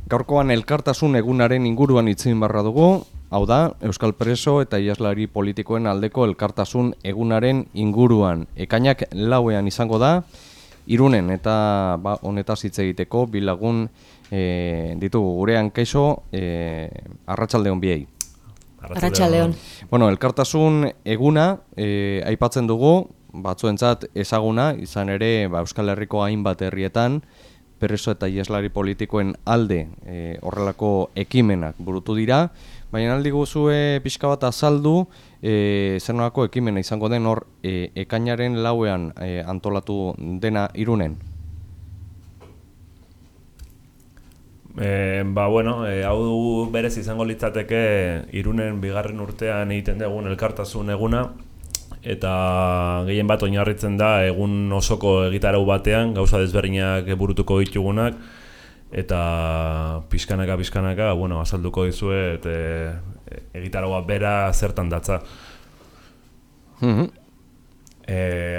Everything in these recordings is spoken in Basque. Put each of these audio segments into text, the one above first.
Gaurkoan elkartasun egunaren inguruan hitz egin barra dugu, hau da, Euskal Preso eta Iheslari politikoen aldeko elkartasun egunaren inguruan. Ekainak 4ean izango da, Irunen eta honetaz hitz egiteko bi lagun ditugu gurean. Kaixo, arratsaldeon biei. Arratsaldeon. Bueno, elkartasun eguna aipatzen dugu, batzuentzat ezaguna, izan ere Euskal Herriko hainbat herrietan, Preso eta Iheslari politikoen alde horrelako ekimenak burutu dira, baina aldi guzue pixka bat azaldu zer nolako ekimena izango den hor ekainaren 4ean antolatu dena Irunen. Hau berez izango litzateke Irunen 2. urtean egiten dugun elkartasun eguna, eta gehien bat oinarritzen da egun osoko egitarau batean, gauza desberdinak burutuko ditugunak, eta pixkanaka, azalduko dizuet egitaraua bera zertan datza.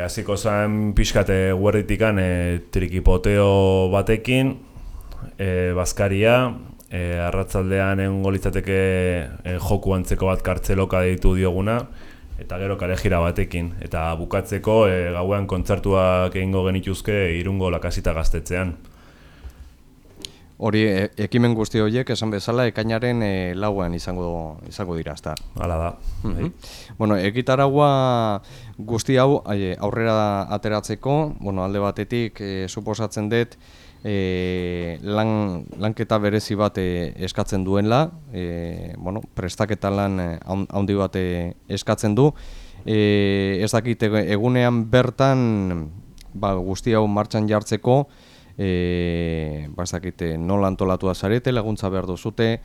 Hasiko zen pixkate guerditikan trikipoteo batekin, bazkaria, arratsaldean egongo litzateke joku antzeko bat kartzeloka deitu dioguna, eta gero kalejira batekin, eta bukatzeko gauean kontzertuak egingo genituzke Irungo Lakasita gaztetxean. Hori, ekimen guzti horiek esan bezala ekainaren 4ean izango dira, ezta? Hala da. Bueno, egitaragua guzti hau aurrera ateratzeko, alde batetik suposatzen dut lanketa berezi bat eskatzen duela, prestaketa lan handi bat eskatzen du. Ez dakit egunean bertan guzti hau martxan jartzeko, ez dakit nola antolatu da zarete, laguntza behar duzute,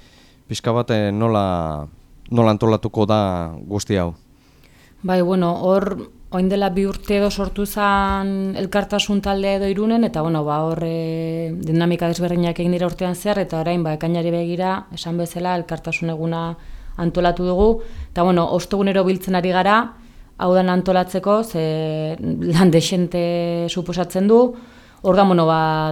pixka bat nola antolatuko da guzti hau? Hor orain dela 2 urte edo sortu zen elkartasun taldea edo Irunen, eta hor dinamika desberdinak egin dira urtean zehar, eta orain ekainari begira, esan bezala, elkartasun eguna antolatu dugu, eta ostegunero biltzen ari gara, hau den antolatzeko, ze lan dexente suposatzen du. Hor da,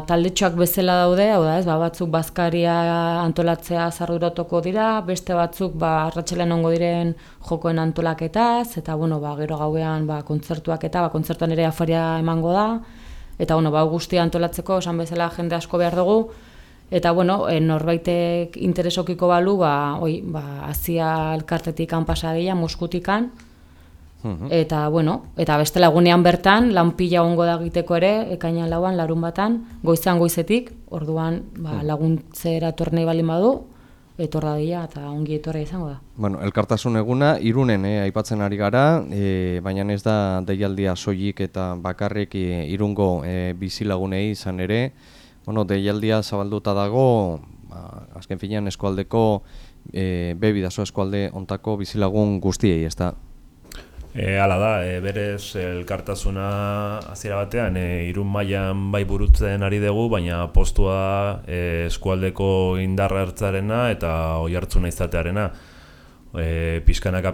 taldetxoak bezala daude, hau da, batzuk bazkaria antolatzea zarduratuko dira, beste batzuk arratsalean ongo diren jokoen antolaketaz, eta gero gauean kontzertuak eta kontzertuan ere afaria emango da, eta guztia antolatzeko, esan bezala jende asko behar dugu, eta norbaitek interesokiko balu, Azia elkartetik pasadila, Moskutikan, eta beste lagunean bertan, lan pila ongo da egiteko ere, ekainan 4ean, larunbatan, goizetik, orduan laguntzera etornei balin badu, etor dadila eta ongi etorra izango da. Elkartasun eguna Irunen aipatzen ari gara, baina ez da deialdia soilik eta bakarrik Irungo bizilagunei izan ere, deialdia zabalduta dago, azken finean eskualdeko, Bidasoa eskualde ontako bizilagun guztiei, ez da? Hala da, berez elkartasuna hasiera batean Irun mailan bai burutzen ari dugu, baina postua eskualdeko indarra hartzarena eta oihartzuna izatearena. Pizkanaka,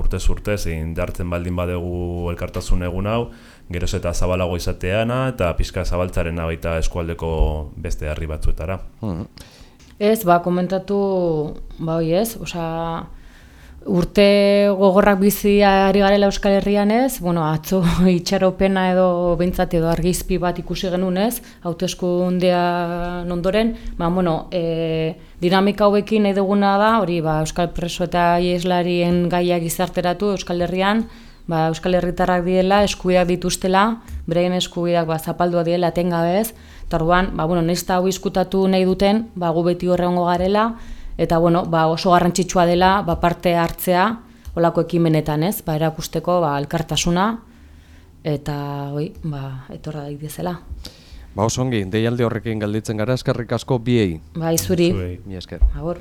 urtez indartzen baldin badegu elkartasun egun hau, geroz eta zabalago izateana eta pizka zabaltzarena baita eskualdeko beste herri batzuetara. Ez, komentatu, urte gogorrak bizi ari garela Euskal Herrian ez, atzo itxaropena edo behintzat edo argizpi bat ikusi genuen ez, hauteskundean ondoren, dinamika hauekin nahi duguna da, hori Euskal Preso eta Iheslarien gaiak gizarteratu Euskal Herrian, Euskal Herritarrak diela, eskubideak dituztela, beraien eskubideak zapaldua diela etengabez, eta orduan, nahiz eta hau izkutatu nahi duten, gu beti horrengo garela, eta oso garrantzitsua dela parte hartzea olako ekimenetan, ez? Erakusteko elkartasuna eta etorra daitezela. Oso ongi, deialdi horrekin galditzen gara, eskerrik asko biei. Zuri. Mi esker. Agur.